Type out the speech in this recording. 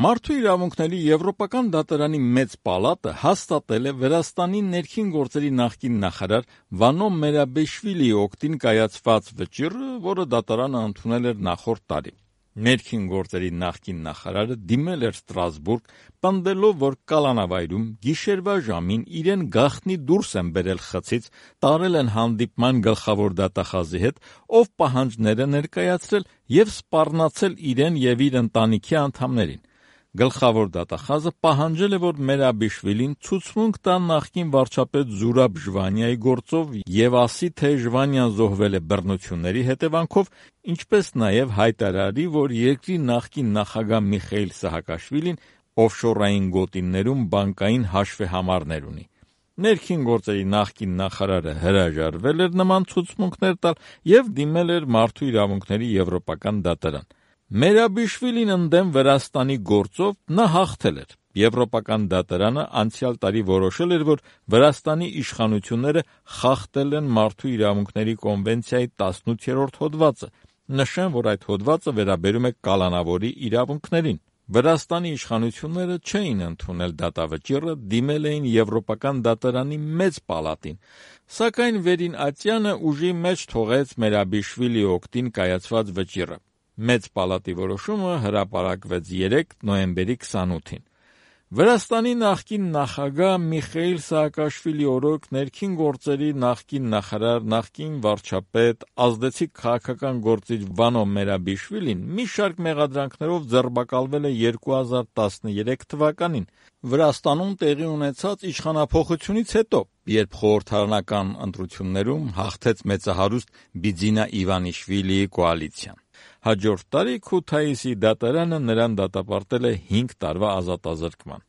Մարդու իրավունքների Եվրոպական դատարանի մեծ պալատը հաստատել է Վրաստանի ներքին գործերի նախկին նախարար Վանո Մերաբեշվիլիի օգտին կայացված վճիռը, որը դատարանը ընդունել էր նախորդ տարի։ Ներքին գործերի նախկին նախարարը դիմել էր Ստրասբուրգ, պնդելով, որ կալանավայրում գիշերվա ժամին իրեն գաղտնի դուրս են բերել խցից, տարել են հանդիպման գլխավոր դատախազի հետ, ով պահանջներ է ներկայացրել և սպառնացել իրեն և իր ընտանիքի անդամներին։ Գլխավոր դատախազը պահանջել է, որ Մերաբեշվիլին ցուցմունք տա նախկին վարչապետ Զուրաբ Ժվանիայի գործով և ասի, թե Ժվանիան զոհվել է բռնությունների հետևանքով, ինչպես նաև հայտարարի, որ երկրի նախկին նախագահ Միխեիլ Սահակաշվիլին օֆշորային գոտիներում բանկային հաշվեհամարներ ունի։ Ներքին գործերի նախկին նախարարը հրաժարվել էր նման ցուցմունքներ տալ և դիմել էր Մարդու իրավունքների Եվրոպական դատարան։ Մերաբեշվիլին ընդդեմ Վրաստանի գործով նա հաղթել էր։ Եվրոպական դատարանը անցյալ տարի որոշել էր, որ Վրաստանի իշխանությունները խախտել են Մարդու իրավունքների կոնվենցիայի 18-րդ հոդվածը, նշեմ, որ այդ հոդվածը վերաբերում է կալանավորի իրավունքներին։ Վրաստանի իշխանությունները չէին ընդունել դատավճիռը, դիմել էին Եվրոպական դատարանի մեծ պալատին, սակայն Վերին Ատյանը ուժի մեջ թողեց Մերաբեշվիլիի օգտին կայացված վճիռը։ Մեծ պալատի որոշումը հրապարակվեց 3 նոյեմբերի 28-ին։ Վրաստանի նախկին նախագահ Միխեիլ Սահակաշվիլի օրոք ներքին գործերի նախկին նախարար, նախկին վարչապետ, ազդեցիկ քաղաքական գործիչ Վանո Մերաբեշվիլին մի շարք մեղադրանքներով ձերբակալվել է 2013 թվականին Վրաստանում տեղի ունեցած իշխանափոխությունից հետո, երբ խորհրդարանական ընտրություններում հաղթեց մեծահարուստ Բիձինա Իվանիշվիլիի կոալիցիան։ Հաջորդ տարի Քութայիսի դատարանը նրան դատապարտել է 5 տարվա ազատազրկման։